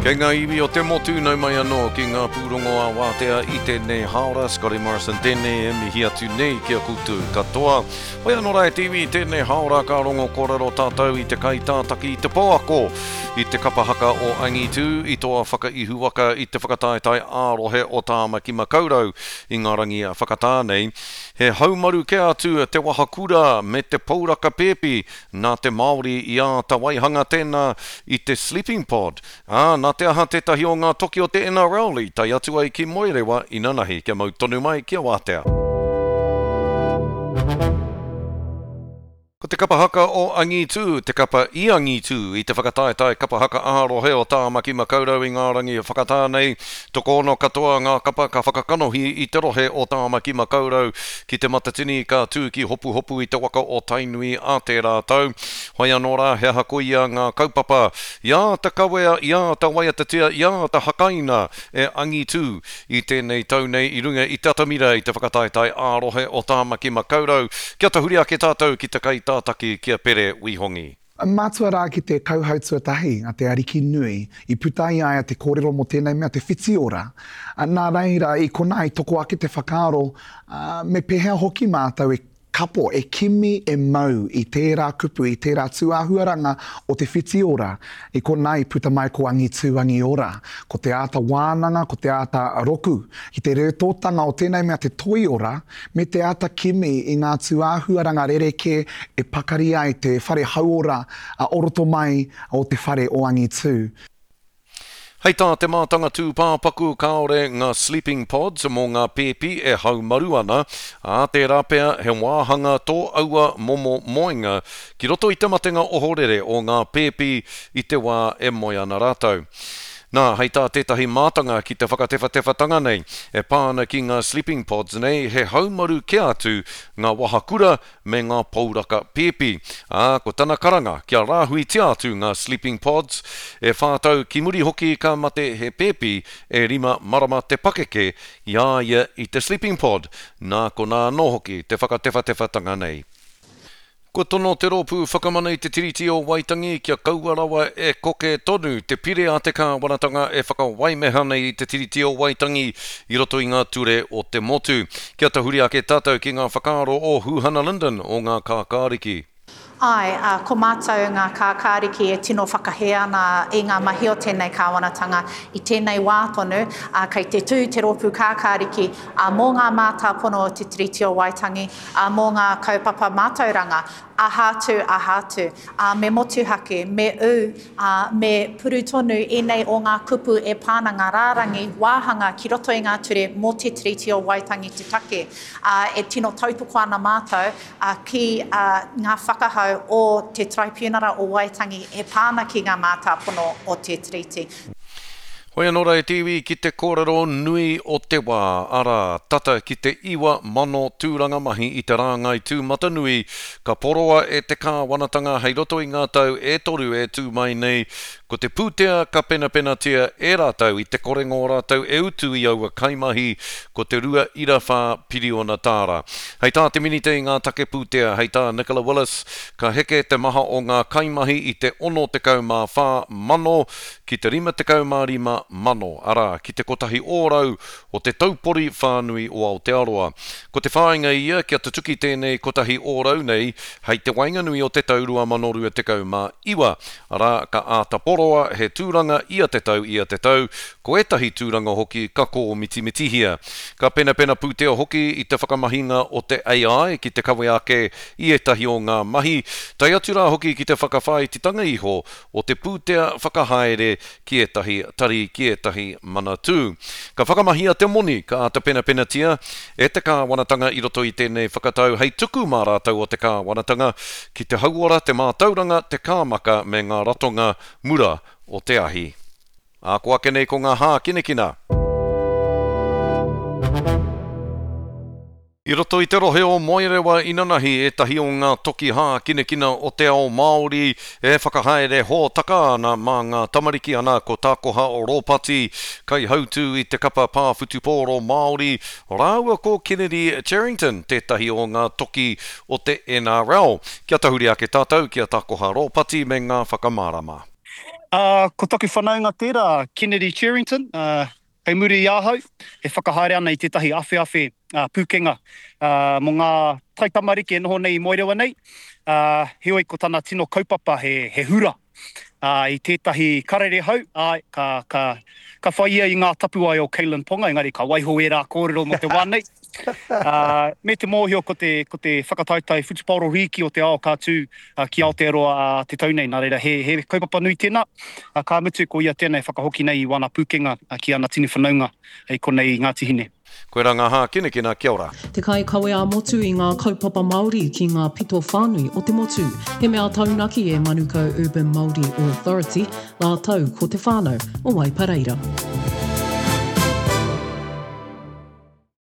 Kei ngā iwi o te motu nau mai anō ki ngā pūrongo ā-wātea i tēnei hāora. Scotty Morrison tēnei e mihi atu nei ki a koutou katoa. Hoi anō rā e te iwi i tēnei hāora ka rongo kōrero tātou i te kaitātaki i te pouako i te kapa haka o Angitū i toa whakaihuwaka i te whakataetae ā-rohe o Tāmaki Makaurau i ngā rangi whakatā nei. He haumaru kē atu te wahakura me te pouraka pēpi nā te Māori i āta waihanga tēnā i te sleeping pod, ā, nā te aha tētahi o ngā toki o te NRL i tae atu ai ki Moerewa inanahi kia mau tonu mai kia wātea. Ko te kapa haka o Angitū te kapa i angitū i te whakataetae kapa haka ā-rohe o Tāmaki Makaurau i ngā rangi whakatā nei. Tokoono katoa ngā kapa ka whakakanohi i te rohe o Tāmaki Makaurau ki Te Matatini ka tū ki Hopuhopu i te waka o Tainui ā tērā tau. Whai anō rā he aha koia ngā kaupapa i āta kawea, i āta waiatatia, i āta hakaina e Angitū I tēnei tau nei i runga i te atamira i te whakataetae ā-rohe o Tāmaki Makaurau, kia tahuri ake tātou ki te kaitātaki ki a Pere Wihongi. Mātua rā ki te kauhau tuatahi a te Ariki Nui, i puta i a ia te kōrero mō tēnei mea te whiti ora. Nā reira, i konā i toko ake te whakaaro, me pēhea hoki mātou e Kapo, e kimi, e mau i tērā kupu, i tērā tūāhuaranga o te whiti ora. I konā i puta mai ko Angitū Angiora. Ko te āta wānanga, ko te āta roku ki te rētōtanga o tēnei mea te toiora, me te āta kimi i ngā tūāhuaranga rerekē e pakari ai te whare hauora o roto mai o te whare o Angitū. Hei tā te mātanga tūpāpaku kāore ngā sleeping pods mō ngā pēpi e haumaru ana, ā, tērā pea he wāhanga tō aua momo moenga ki roto i te matenga ohorere o ngā pēpi i te wā e moe ana rātou. Nā, hei tā tētahi mātanga ki te whakatewhatewhatanga nei e pā ana ki ngā sleeping pods nei he haumaru kē atu ngā wahakura me ngā pouraka pēpi, ā, ko tana karanga kia rāhuitia atu ngā sleeping pods. E whā tau ki muri hoki ka mate he pēpi e rima marama te pakeke i a ia i te sleeping pod, nā konā anō hoki te whakatewhatewhatanga nei. Kua tono te Rōpū Whakamana i te Tiriti o Waitangi kia kaua rawa e koke tonu te pire a te kāwanatanga e whakawaimeha nei i te Tiriti o Waitangi i roto i ngā ture o te motu. Kia tahuri ake tātou ki ngā whakaaro o Huhana Lyndon o Ngā Kākāriki. Āe, ā, ko mātou Ngā Kākāriki e tino whakahē ana i ngā mahi o tēnei kāwanatanga i tēnei wā tonu, ā, kei te tū te Rōpū Kākāriki, ā, mō ngā mātāpono o Te Tiriti o Waitangi, ā, mō ngā kaupapa mātauranga, aha atu, aha atu. Ā, me motuhake, me ū, ā, me puru tonu ēnei o ngā kupu e pā ana ngā rārangi wāhanga ki roto i ngā ture mō Te Tiriti o Waitangi te take, ā, e tino tautoko ana mātou, ā, ki, ā, ngā whakahau o te Taraipiunara o Waitangi e pā ana ki ngā mātāpono o Te Tiriti. Hoi anō rā e te iwi ki te kōrero nui o te wā, arā, tata ki te 9,000 tūranga mahi i te rāngai tūmatanui ka poroa e te kāwanatanga hei roto i ngā tau e toru e tū mai nei, ko te pūtea ka penapenatia e rātou i te korenga o rātou e utu i aua kaimahi ko te 2.4 piriona tāra. Hei tā te Minita i ngā take pūtea, hei tā Nicola Willis, ka heke te maha o ngā kaimahi i te 64,000 ki te 55,000, arā, ki te kotahi ōrau o te taupori whānui o Aotearoa. Ko te whāinga ia kia tutuki tēnei kotahi ōrau nei hei te waenganui o te tau 2029, arā, ka āta poroa he tūranga ia te tau ia te tau, ko ētahi tūranga hoki ka kōmitimitihia. Ka penapena pūtea hoki i te whakamahinga o te AI ki te kawe ake i ētahi o ngā mahi, tae atu rā hoki ki te whakawhāititanga iho o te pūtea whakahaere ki ētahi tari, ki ētahi manatū. Ka whakamahia te moni ka āta penapenatia e te kāwanatanga i roto i tēnei whakatau hei tuku mā rātou o te kāwanatanga ki te hauora, te mātauranga, te kāmaka me ngā ratonga mura o te ahi. Ā, ko ake nei ko ngā hākinakina. I roto i te rohe o Moerewa inanahi ētahi o ngā toki hākinakina o te ao Māori e whakahaere hōtaka ana mā ngā tamariki ana ko Takoha Ropati, kaihautū i te kapa pā whutupōro Māori, rāua ko Kennedy Cherrington, tētahi o ngā toki o te NRL. Kia tahuri ake tātou ki a Takoha Ropati me ngā whakamārama. Ā, ko taku whanaunga tērā, Kennedy Cherrington, ā, kei muri i ahau, e whakahaere ana i tētahi awheawhe pūkenga mō ngā taitamariki e noho nei i Moerewa nei, ā, heoi ko tana tino kaupapa he, he hura, ā, i tētahi karere hou, āe, ka, ka, ka whai ia i ngā tapuwae o Kalyn Ponga, engari ka waiho ērā kōrero mō te wā nei. Ā, me te mōhio ko te, ko te whakataetae whutupaoro rīki o te ao ka tū ki Aotearoa ā te tau nei, nā reira he, he kaupapa nui tēnā, ā, ka mutu ko ia tēnā e whakahoki nei i wana pūkenga ki ana tini whanaunga i konei i Ngāti Hine. Koirā ngā hākinakina, kia ora. Te kaikawe ā-motu i ngā kaupapa Māori ki ngā pito whānui o te motu. He mea taunaki e Manukau Urban Māori Authority rātou ko te whānau o Waipareira.